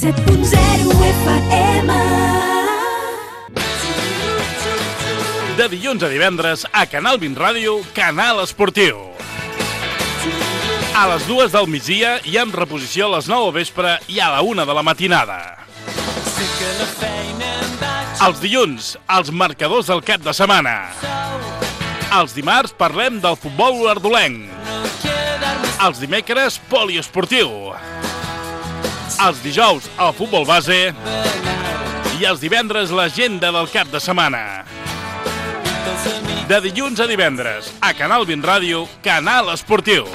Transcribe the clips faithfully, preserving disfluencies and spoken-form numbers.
set punt zero F M. De dilluns a divendres, a Canal vint Ràdio, Canal Esportiu. A les dues del migdia i amb reposició a les nou del vespre i a la una de la matinada. Els dilluns, els marcadors del cap de setmana. Els dimarts parlem del futbol ardolenc. Els dimecres, poliesportiu. Els dijous, el futbol base. I els divendres, l'agenda del cap de setmana. De dilluns a divendres, a Canal vint Ràdio, Canal Esportiu.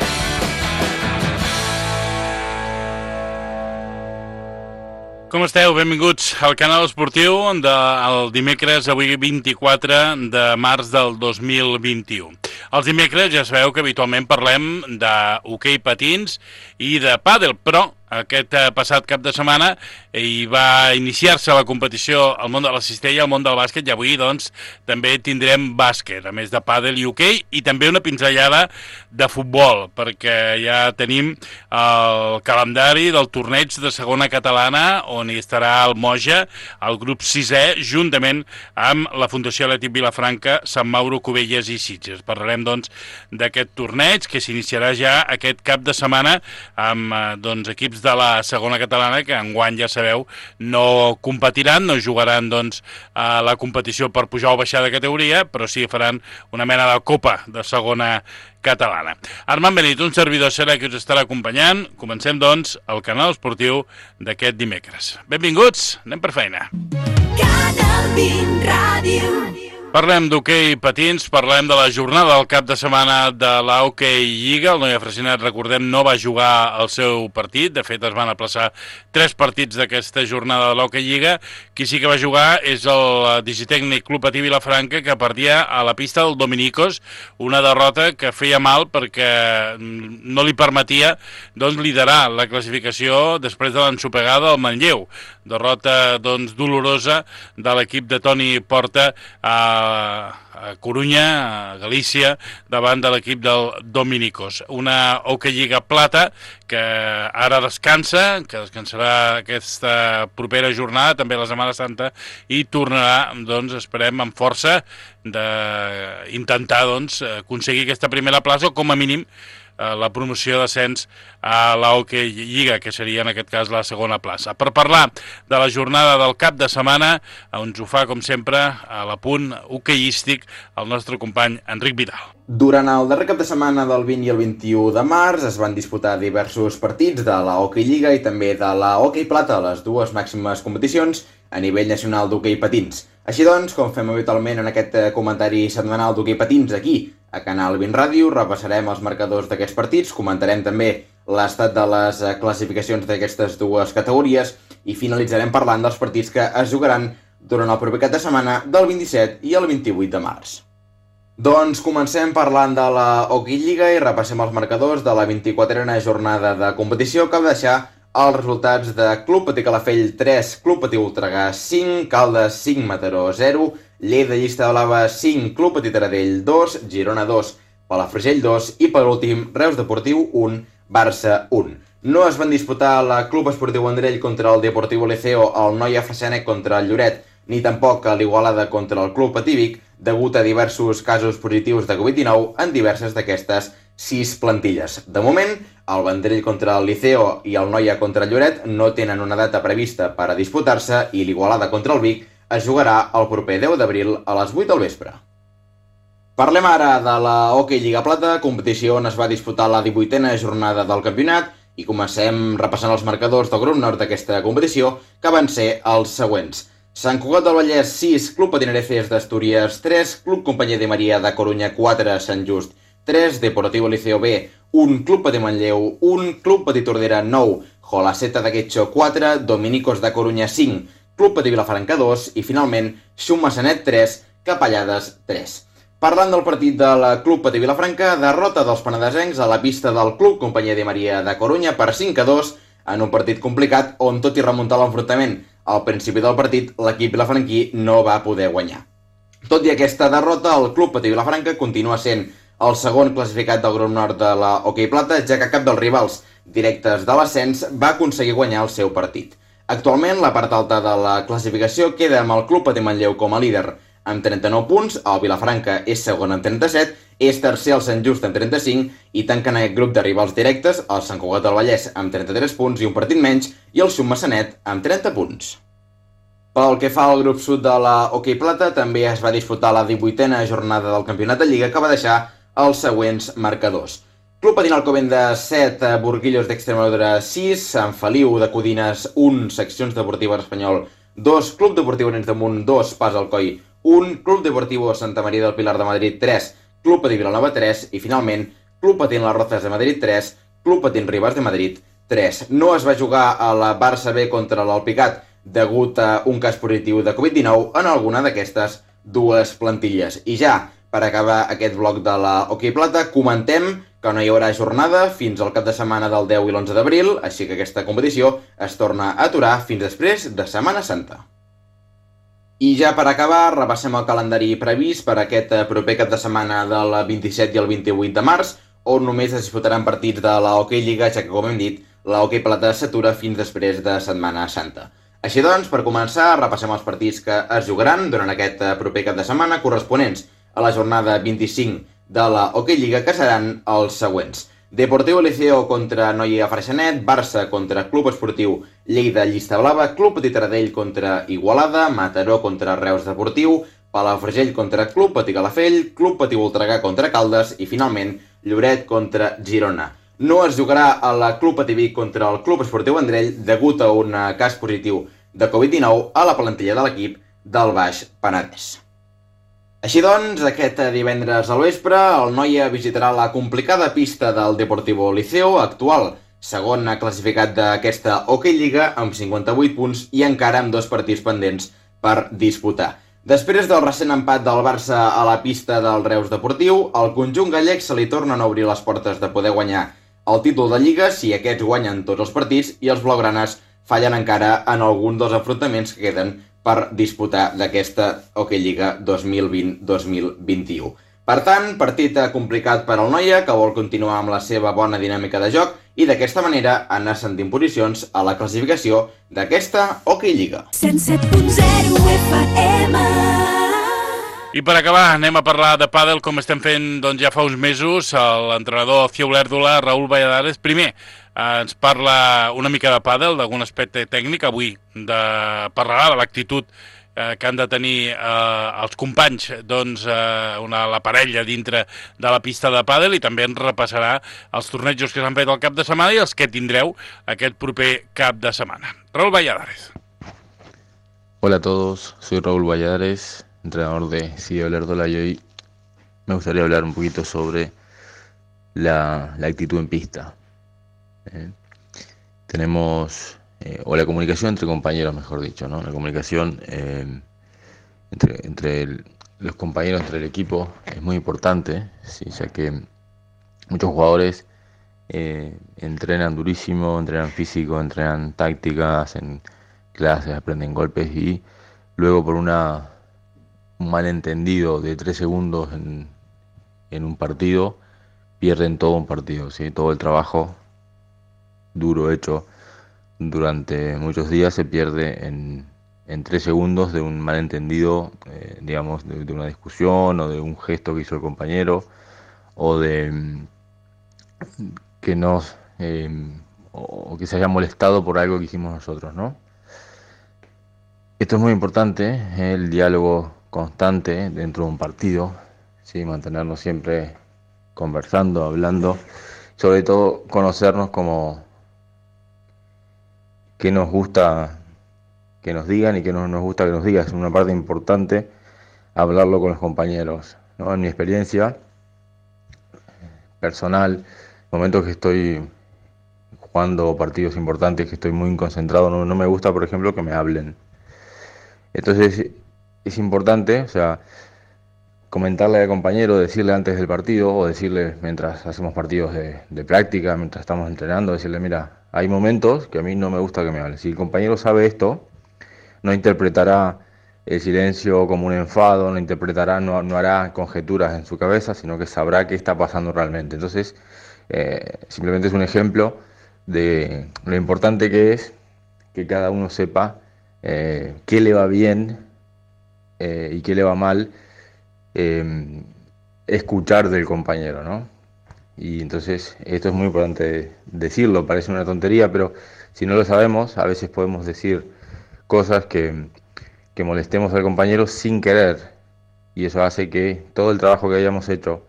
Com esteu? Benvinguts al Canal Esportiu del dimecres, avui vint-i-quatre de març del dos mil vint-i-u. Els dimecres ja sabeu que habitualment parlem d'hoquei patins i de pàdel, però aquest passat cap de setmana hi va iniciar-se la competició al món de la cistella, al món del bàsquet, i avui doncs també tindrem bàsquet, a més de pàdel i hoquei, i també una pinzellada de futbol, perquè ja tenim el calendari del torneig de segona catalana, on hi estarà el Moja, el grup sisè, juntament amb la Fundació Atlètic Vilafranca, Sant Mauro, Cubelles i Sitges. Parlarem doncs d'aquest torneig que s'iniciarà ja aquest cap de setmana amb doncs equips de la segona catalana que enguany, ja sabeu, no competiran, no jugaran doncs a la competició per pujar o baixar de categoria, però sí faran una mena de copa de segona catalana. Armand Benit, un servidor serà que us estarà acompanyant. Comencem doncs el Canal Esportiu d'aquest dimecres. Benvinguts, anem per feina. Canal vint Ràdio. Parlem d'hoquei patins, parlem de la jornada del cap de setmana de la Hoquei Lliga. El Noia Freixenet, recordem, no va jugar el seu partit. De fet, es van aplaçar tres partits d'aquesta jornada de l'Hoquei Lliga. Qui sí que va jugar és el Digitècnic Club Patí Vilafranca, que perdia a la pista del Dominicos, una derrota que feia mal perquè no li permetia doncs, liderar la classificació després de l'ensopegada del Manlleu. Derrota doncs, dolorosa de l'equip de Toni Porta a a Corunya, a Galícia, davant de l'equip del Dominicos. Una Hoquei Lliga plata que ara descansa, que descansarà aquesta propera jornada, també la Setmana Santa, i tornarà, doncs, esperem, amb força d'intentar doncs, aconseguir aquesta primera plaça, o com a mínim la promoció d'ascens a la Hoquei Lliga, que seria en aquest cas la segona plaça. Per parlar de la jornada del cap de setmana, ens ho fa, com sempre, a l'apunt hoqueístic, el nostre company Enric Vidal. Durant el darrer cap de setmana del vint i el vint-i-u de març es van disputar diversos partits de la Hoquei Lliga i també de la Hoquei Plata, les dues màximes competicions a nivell nacional d'hoquei patins. Així doncs, com fem habitualment en aquest comentari setmanal d'hoquei patins aquí, a Canal vint Ràdio, repassarem els marcadors d'aquests partits, comentarem també l'estat de les classificacions d'aquestes dues categories i finalitzarem parlant dels partits que es jugaran durant el proper cap de setmana del vint-i-set i el vint-i-vuit de març. Doncs comencem parlant de la Hoquei Lliga i repassem els marcadors de la vint-i-quatrena jornada de competició, que va deixar els resultats de Club Patí Calafell tres, Club Patí Voltregà cinc, Caldes cinc, Mataró zero, Lleida Llista Blava cinc, Club Patí Taradell dos, Girona dos, Palafrugell dos i per últim Reus Deportiu un, Barça un. No es van disputar la Club Esportiu Vendrell contra el Deportiu Liceo, el Noia Freixenet contra el Lloret, ni tampoc a l'Igualada contra el Club Patí Vic, degut a diversos casos positius de covid dinou en diverses d'aquestes sis plantilles. De moment, el Vendrell contra el Liceo i el Noia contra el Lloret no tenen una data prevista per a disputar-se i l'Igualada contra el Vic es jugarà el proper deu d'abril a les vuit del vespre. Parlem ara de la Hoquei Lliga Plata, competició on es va disputar la divuitena jornada del campionat, i comencem repassant els marcadors del grup nord d'aquesta competició, que van ser els següents. Sant Cugat del Vallès sis, Club Patinereces d'Astúries tres, Club Companyia de Maria de Corunya quatre, Sant Just tres, Deportivo Liceo B un, Club Patí Manlleu un, Club Patí Tordera nou, Jolaceta de Guetxo quatre, Dominicos de Corunya cinc, Club Patí Vilafranca dos i finalment Xum Massanet tres, Capellades tres. Parlant del partit del Club Patí Vilafranca, derrota dels penedesencs a la pista del Club Companyia de Maria de Corunya per cinc a dos en un partit complicat on, tot i remuntar l'enfrontament al principi del partit, l'equip vilafranquí no va poder guanyar. Tot i aquesta derrota, el Club Patí Vilafranca continua sent el segon classificat del grup nord de la Hoquei Plata, ja que cap dels rivals directes de l'ascens va aconseguir guanyar el seu partit. Actualment, la part alta de la classificació queda amb el Club Patí Manlleu com a líder amb trenta-nou punts, el Vilafranca és segon amb trenta-set, és tercer el Sant Just amb trenta-cinc i tanquen aquest grup de rivals directes el Sant Cugat del Vallès amb trenta-tres punts i un partit menys i el Submassanet amb trenta punts. Pel que fa al grup sud de la Hoquei Plata, també es va disputar la divuitena jornada del Campionat de Lliga que va deixar els següents marcadors. Club Patí Alcobendas set, Burguillos d'Extremadura sis, Sant Feliu de Codines un, Seccions Deportives Espanyol dos, Club Deportiu Arenys de Munt dos, Pas Alcoi un, Club Deportivo Santa Maria del Pilar de Madrid tres, Club Patí Vilanova tres i finalment Club Patí Las Rozas de Madrid tres, Club Patí Ribas de Madrid tres. No es va jugar a la Barça B contra l'Alpicat degut a un cas positiu de covid dinou en alguna d'aquestes dues plantilles. I ja, per acabar aquest bloc de la Hoquei Plata, comentem que no hi haurà jornada fins al cap de setmana del deu i l'onze d'abril, així que aquesta competició es torna a aturar fins després de Setmana Santa. I ja per acabar, repassem el calendari previst per aquest proper cap de setmana del vint-i-set i el vint-i-vuit de març, on només es disputaran partits de la Hoquei Lliga, ja que, com hem dit, la Hoquei Plata s'atura fins després de Setmana Santa. Així doncs, per començar, repassem els partits que es jugaran durant aquest proper cap de setmana corresponents a la jornada vint-i-cinc de la Hoquei Lliga, que seran els següents. Deportiu Liceo contra Noia Freixenet, Barça contra Club Esportiu Lleida Llista Blava, Club Patí Taradell contra Igualada, Mataró contra Reus Deportiu, Palafrugell contra Club Patí Calafell, Club Patí Voltregà contra Caldes i, finalment, Lloret contra Girona. No es jugarà a la Club Patí Vic contra el Club Esportiu Vendrell degut a un cas positiu de covid dinou a la plantilla de l'equip del Baix Penedès. Així doncs, aquest divendres al vespre, el Noia visitarà la complicada pista del Deportivo Liceo, actual segon classificat d'aquesta Hoquei Lliga, amb cinquanta-vuit punts i encara amb dos partits pendents per disputar. Després del recent empat del Barça a la pista del Reus Deportiu, al conjunt gallec se li tornen a obrir les portes de poder guanyar el títol de Lliga si aquests guanyen tots els partits i els blaugranes fallen encara en algun dels enfrontaments que queden per disputar d'aquesta Hoquei Lliga dos mil vint dos mil vint-i-u. Per tant, partit complicat per al Noia, que vol continuar amb la seva bona dinàmica de joc i d'aquesta manera anar ascendint posicions a la classificació d'aquesta Hoquei Lliga. cent set punt zero F M. I per acabar, anem a parlar de pàdel, com estem fent doncs, ja fa uns mesos. L'entrenador Cia Olèrdola, Raül Valladares, primer ens parla una mica de pàdel, d'algun aspecte tècnic. Avui de, parlarà de l'actitud eh, que han de tenir eh, els companys, doncs, eh, una, la parella dintre de la pista de pàdel, i també ens repassarà els tornejos que s'han fet el cap de setmana i els que tindreu aquest proper cap de setmana. Raül Valladares. Hola a todos, soy Raúl Valladares, entrenador de Cia Olèrdola, y hoy me gustaría hablar un poquito sobre la, la actitud en pista. Eh, tenemos, eh, o la comunicación entre compañeros, mejor dicho, ¿no? La comunicación eh, entre, entre el, los compañeros, entre el equipo, es muy importante, ¿sí? Ya que muchos jugadores eh, entrenan durísimo, entrenan físico, entrenan táctica, hacen clases, aprenden golpes y luego por una un malentendido de tres segundos en, en un partido pierden todo un partido, ¿sí? Todo el trabajo duro hecho durante muchos días se pierde en, en tres segundos de un malentendido, eh, digamos, de, de una discusión o de un gesto que hizo el compañero o de mm, que nos eh, o que se haya molestado por algo que hicimos nosotros, ¿no? Esto es muy importante, eh, el diálogo constante dentro de un partido, ¿sí? Mantenernos siempre conversando, hablando, sobre todo conocernos como qué nos gusta que nos digan y qué no nos gusta que nos digan. Es una parte importante hablarlo con los compañeros, ¿no? En mi experiencia personal, momentos que estoy jugando partidos importantes, que estoy muy concentrado, no, no me gusta, por ejemplo, que me hablen. Entonces es importante, o sea, comentarle al compañero, decirle antes del partido o decirle mientras hacemos partidos de, de práctica, mientras estamos entrenando, decirle, mira, hay momentos que a mí no me gusta que me hables. Si el compañero sabe esto, no interpretará el silencio como un enfado, no interpretará, no, no hará conjeturas en su cabeza, sino que sabrá qué está pasando realmente. Entonces, eh, simplemente es un ejemplo de lo importante que es que cada uno sepa eh, qué le va bien eh, y qué le va mal, eh, escuchar del compañero, ¿no? Y entonces esto es muy importante decirlo, parece una tontería, pero si no lo sabemos, a veces podemos decir cosas que, que molestemos al compañero sin querer, y eso hace que todo el trabajo que hayamos hecho,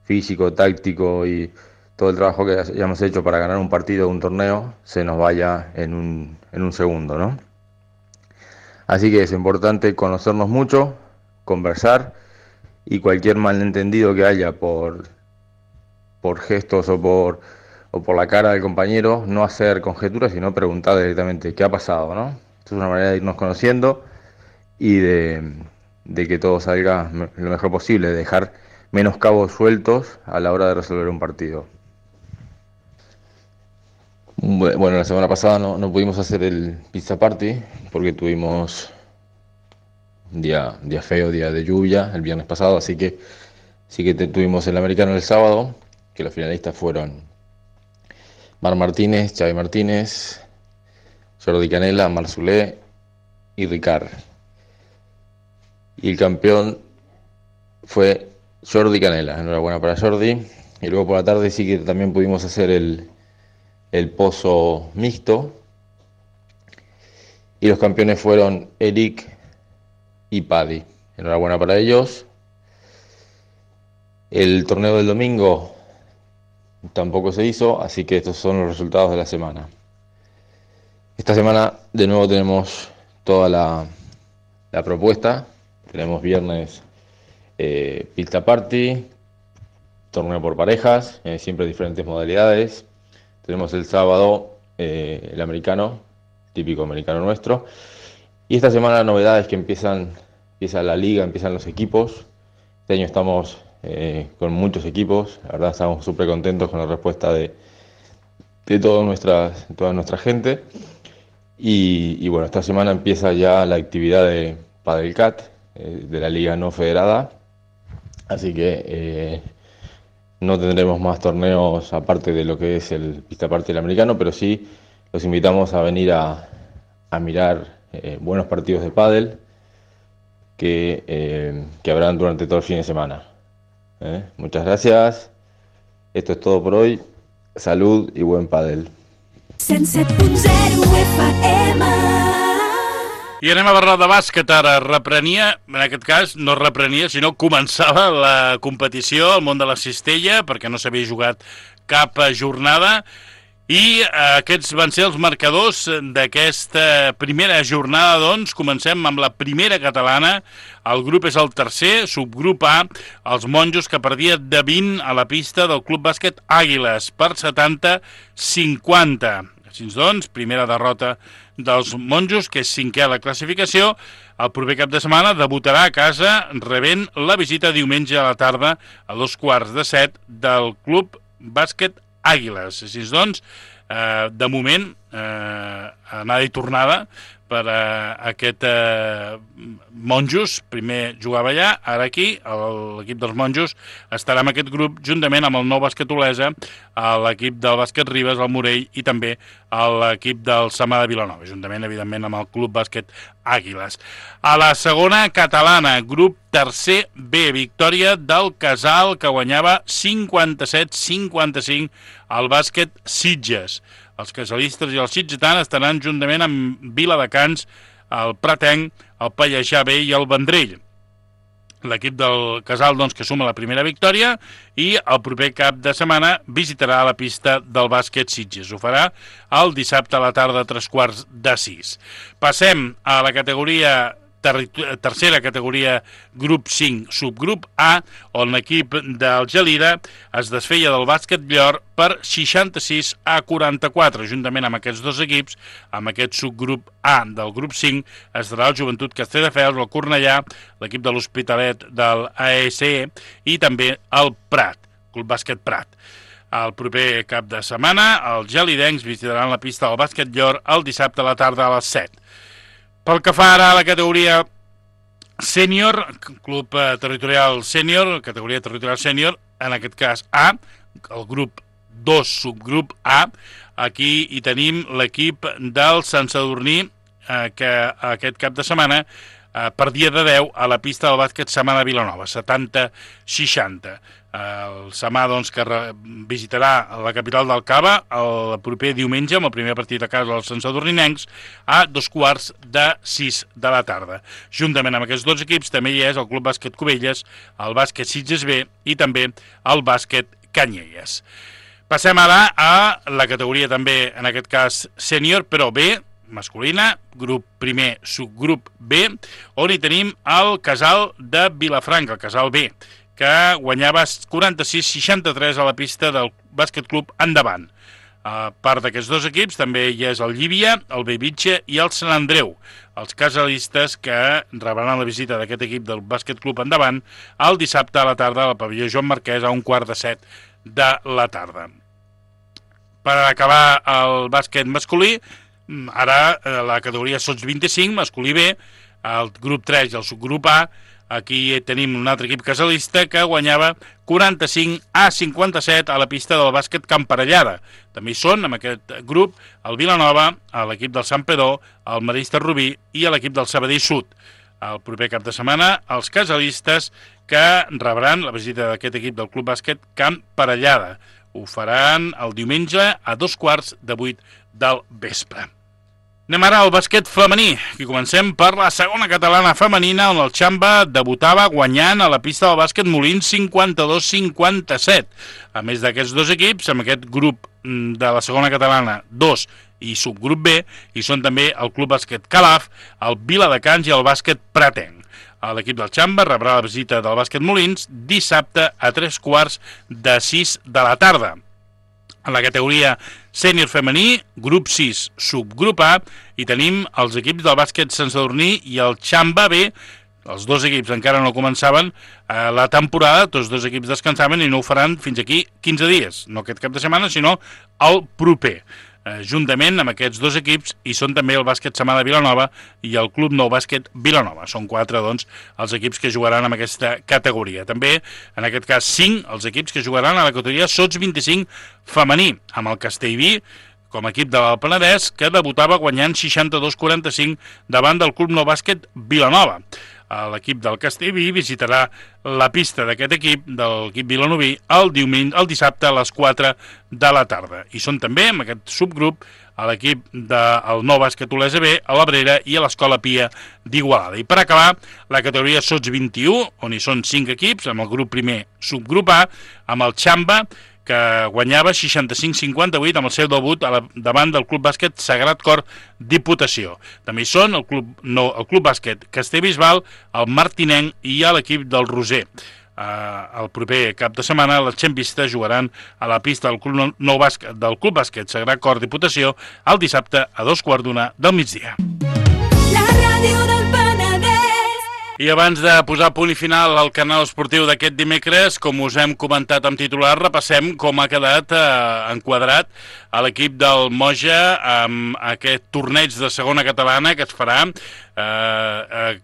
físico, táctico y todo el trabajo que hayamos hecho para ganar un partido o un torneo, se nos vaya en un, en un segundo, ¿no? Así que es importante conocernos mucho, conversar, y cualquier malentendido que haya por, por gestos o por, o por la cara del compañero, no hacer conjeturas, sino preguntar directamente qué ha pasado, ¿no? Esto es una manera de irnos conociendo y de, de que todo salga lo mejor posible, de dejar menos cabos sueltos a la hora de resolver un partido. Bueno, la semana pasada no, no pudimos hacer el pizza party porque tuvimos día, día feo, día de lluvia el viernes pasado, así que sí que te, tuvimos el americano el sábado, que los finalistas fueron Mar Martínez, Xavi Martínez, Jordi Canela, Marzulé y Ricard. Y el campeón fue Jordi Canela, enhorabuena para Jordi. Y luego por la tarde sí que también pudimos hacer el, el pozo mixto. Y los campeones fueron Eric y Paddy. Enhorabuena para ellos. El torneo del domingo tampoco se hizo, así que estos son los resultados de la semana. Esta semana de nuevo tenemos toda la, la propuesta. Tenemos viernes eh, pizza party, torneo por parejas, eh, siempre diferentes modalidades. Tenemos el sábado eh, el americano, típico americano nuestro. Y esta semana la novedad es que empiezan, empieza la liga, empiezan los equipos. Este año estamos eh, con muchos equipos, la verdad estamos súper contentos con la respuesta de, de toda nuestra, toda nuestra gente. Y, y bueno, esta semana empieza ya la actividad de Padelcat, eh, de la liga no federada. Así que eh, no tendremos más torneos aparte de lo que es el pista party del americano, pero sí los invitamos a venir a, a mirar eh, buenos partidos de pádel que, eh, que habrán durante todo el fin de semana. ¿Eh? Muchas gracias. Esto es todo por hoy. Salud i buen pàdel. cent set punt zero F M. I anem a parlar de bàsquet ara. Reprenia, en aquest cas, no reprenia, sinó començava la competició al món de la cistella, perquè no s'havia jugat cap jornada, i aquests van ser els marcadors d'aquesta primera jornada. Doncs comencem amb la primera catalana. El grup és el tercer, subgrup A, els monjos, que perdia de vint a la pista del Club Bàsquet Àguiles per setanta a cinquanta. Així doncs, primera derrota dels monjos, que és cinquè a la classificació. El proper cap de setmana debutarà a casa rebent la visita diumenge a la tarda a dos quarts de set del Club Bàsquet Àguiles. Així doncs, eh, de moment, eh, anada i tornada per a aquest eh, monjos. Primer jugava allà, ara aquí. L'equip dels monjos estarà en aquest grup juntament amb el nou bàsquet Olesa, l'equip del bàsquet Ribes, el Morell, i també l'equip del Samà de Vilanova, juntament, evidentment, amb el Club Bàsquet Àguiles. A la segona catalana, grup tercer B, victòria del Casal, que guanyava cinquanta-set a cinquanta-cinc al bàsquet Sitges. Els casalistes i els sitgetans estaran juntament amb Viladecans, el Pratenc, el Pallejà B i el Vendrell. L'equip del Casal, doncs, que suma la primera victòria, i el proper cap de setmana visitarà la pista del bàsquet Sitges. Ho farà el dissabte a la tarda a tres quarts de sis. Passem a la categoria tercera categoria, grup cinc, subgrup A, on l'equip del Gelida es desfeia del bàsquet Llor per seixanta-sis a quaranta-quatre. Juntament amb aquests dos equips, amb aquest subgrup A del grup cinc, estarà el Joventut Castelldefels, el Cornellà, l'equip de l'Hospitalet del A E S E i també el Prat, Club Bàsquet Prat. El proper cap de setmana, els gelidencs visitaran la pista del bàsquet Llor el dissabte a la tarda a les set. Pel que fa ara a la categoria sènior, club territorial sènior, categoria territorial sènior, en aquest cas A, el grup dos, subgrup A, aquí hi tenim l'equip del Sant Sadurní, eh, que aquest cap de setmana eh, perdia de deu a la pista del bàsquet Samà de Vilanova, setanta seixanta. El Samà, doncs, que visitarà la capital del Cava el proper diumenge amb el primer partit a casa dels santsadurninencs a dos quarts de sis de la tarda. Juntament amb aquests dos equips també hi és el Club Bàsquet Cubelles, el Bàsquet Sitges B i també el Bàsquet Canyelles. Passem ara a la categoria també, en aquest cas, sènior, però B, masculina, grup primer, subgrup B, on hi tenim el Casal de Vilafranca, el Casal B, que guanyava quaranta-sis seixanta-tres a la pista del Bàsquet Club Endavant. A part d'aquests dos equips també hi és el Llívia, el Bellvitge i el Sant Andreu, els casalistes que rebran la visita d'aquest equip del Bàsquet Club Endavant el dissabte a la tarda al pavelló Joan Marquès a un quart de set de la tarda. Per acabar el bàsquet masculí, ara la categoria sots vint-i-cinc, masculí B, el grup tres i el subgrup A. Aquí tenim un altre equip casalista que guanyava quaranta-cinc a cinquanta-set a la pista del bàsquet Camparellada. També hi són, en aquest grup, el Vilanova, l'equip del Sant Pedó, el Marista Rubí i l'equip del Sabadell Sud. El proper cap de setmana, els casalistes que rebran la visita d'aquest equip del Club Bàsquet Camparellada. Ho faran el diumenge a dos quarts de vuit del vespre. Anem ara al bàsquet femení, i comencem per la segona catalana femenina, on el Xamba debutava guanyant a la pista del bàsquet Molins cinquanta-dos cinquanta-set. A més d'aquests dos equips, amb aquest grup de la segona catalana dos i subgrup B, hi són també el Club Bàsquet Calaf, el Viladecans i el bàsquet Pratenc. L'equip del Xamba rebrà la visita del bàsquet Molins dissabte a tres quarts de sis de la tarda. En la categoria sènior femení, grup sis, subgrup A, hi tenim els equips del bàsquet Sant Sadurní i el Xamba B. Els dos equips encara no començaven eh, la temporada, tots dos equips descansaven i no ho faran fins aquí quinze dies, no aquest cap de setmana, sinó el proper. Eh, juntament amb aquests dos equips hi són també el bàsquet Samà de Vilanova i el Club Nou Bàsquet Vilanova. Són quatre, doncs, els equips que jugaran en aquesta categoria. També, en aquest cas, cinc els equips que jugaran a la categoria sots vint-i-cinc femení, amb el Castellví com a equip de l'Alt Penedès, que debutava guanyant seixanta-dos quaranta-cinc davant del Club Nou Bàsquet Vilanova. L'equip del Castellví visitarà la pista d'aquest equip, de l'equip vilanoví, el, diumenge, el dissabte a les quatre de la tarda. I són també, en aquest subgrup, a l'equip del Nou Bàsquet Olesa B, a l'Abrera i a l'Escola Pia d'Igualada. I per acabar, la categoria sots vint-i-u, on hi són cinc equips, amb el grup primer subgrup A, amb el Xamba, que guanyava seixanta-cinc cinquanta-vuit amb el seu debut a la, davant del Club Bàsquet Sagrat Cor Diputació. També hi són el Club, no, el Club Bàsquet Castellbisbal, el Martinenc i l'equip del Roser. Uh, el proper cap de setmana les xempistes jugaran a la pista del Club, nou Bàsquet, del Club Bàsquet Sagrat Cor Diputació el dissabte a dos quarts d'una del migdia. La ràdio del Penedès. I abans de posar punt i final al canal esportiu d'aquest dimecres, com us hem comentat amb titular, repassem com ha quedat eh, enquadrat a l'equip del Moja amb aquest torneig de segona catalana que es farà eh, eh,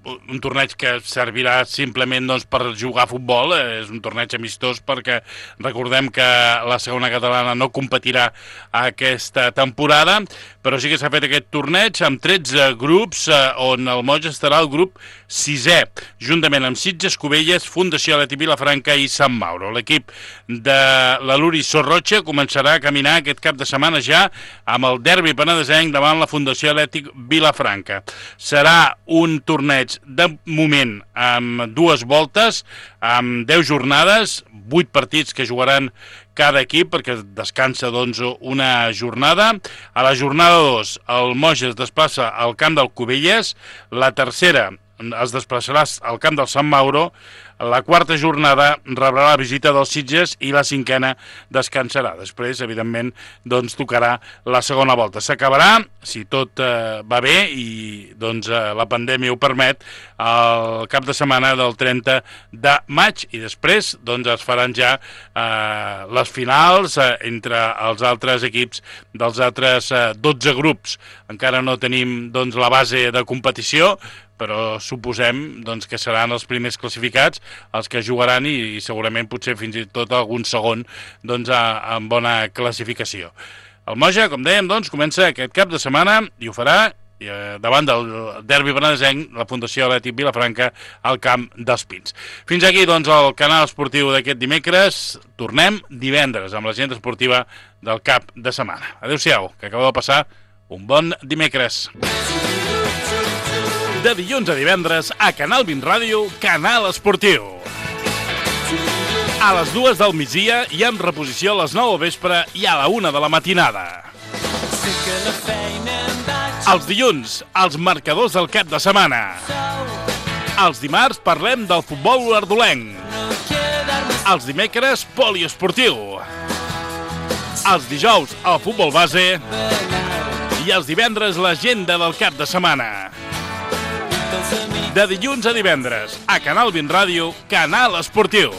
un torneig que servirà simplement doncs, per jugar a futbol, és un torneig amistós perquè recordem que la segona catalana no competirà aquesta temporada, però sí que s'ha fet aquest torneig amb tretze grups eh, on el Moja estarà el grup sisè, juntament amb Sitges, Cubelles, Fundació Atlètic Vilafranca i Sant Mauro. L'equip de la Luri Sorrocha començarà a caminar aquest cap de setmana ja amb el derbi penedesenc davant la Fundació Atlètic Vilafranca. Serà un torneig de moment amb dues voltes, amb deu jornades, vuit partits que jugaran cada equip perquè descansa doncs, una jornada. A la jornada dos el Moja es desplaça al camp del Cubelles, la tercera es desplaçarà al camp del Sant Mauro, la quarta jornada rebrà la visita dels Sitges i la cinquena descansarà. Després, evidentment, doncs, tocarà la segona volta. S'acabarà, si tot eh, va bé i doncs, eh, la pandèmia ho permet, el cap de setmana del trenta de maig i després doncs, es faran ja eh, les finals eh, entre els altres equips dels altres eh, dotze grups. Encara no tenim doncs, la base de competició, però suposem doncs, que seran els primers classificats els que jugaran i, i segurament potser fins i tot algun segon doncs, a, amb bona classificació. El Moja, com dèiem, doncs, comença aquest cap de setmana i ho farà eh, davant del derbi benadesenc, la Fundació Atlètic Vilafranca, al Camp dels Pins. Fins aquí, doncs, el canal esportiu d'aquest dimecres. Tornem divendres amb l'agenda esportiva del cap de setmana. Adéu-siau, que acabeu de passar un bon dimecres. De dilluns a divendres, a Canal vint Ràdio, Canal Esportiu. A les dues del migdia i amb reposició a les nou al vespre i a la una de la matinada. Els dilluns, els marcadors del cap de setmana. Els dimarts parlem del futbol ardolenc. Els dimecres, poliesportiu. Els dijous, el futbol base. I els divendres, l'agenda del cap de setmana. De dilluns a divendres, a Canal vint Ràdio, Canal Esportiu.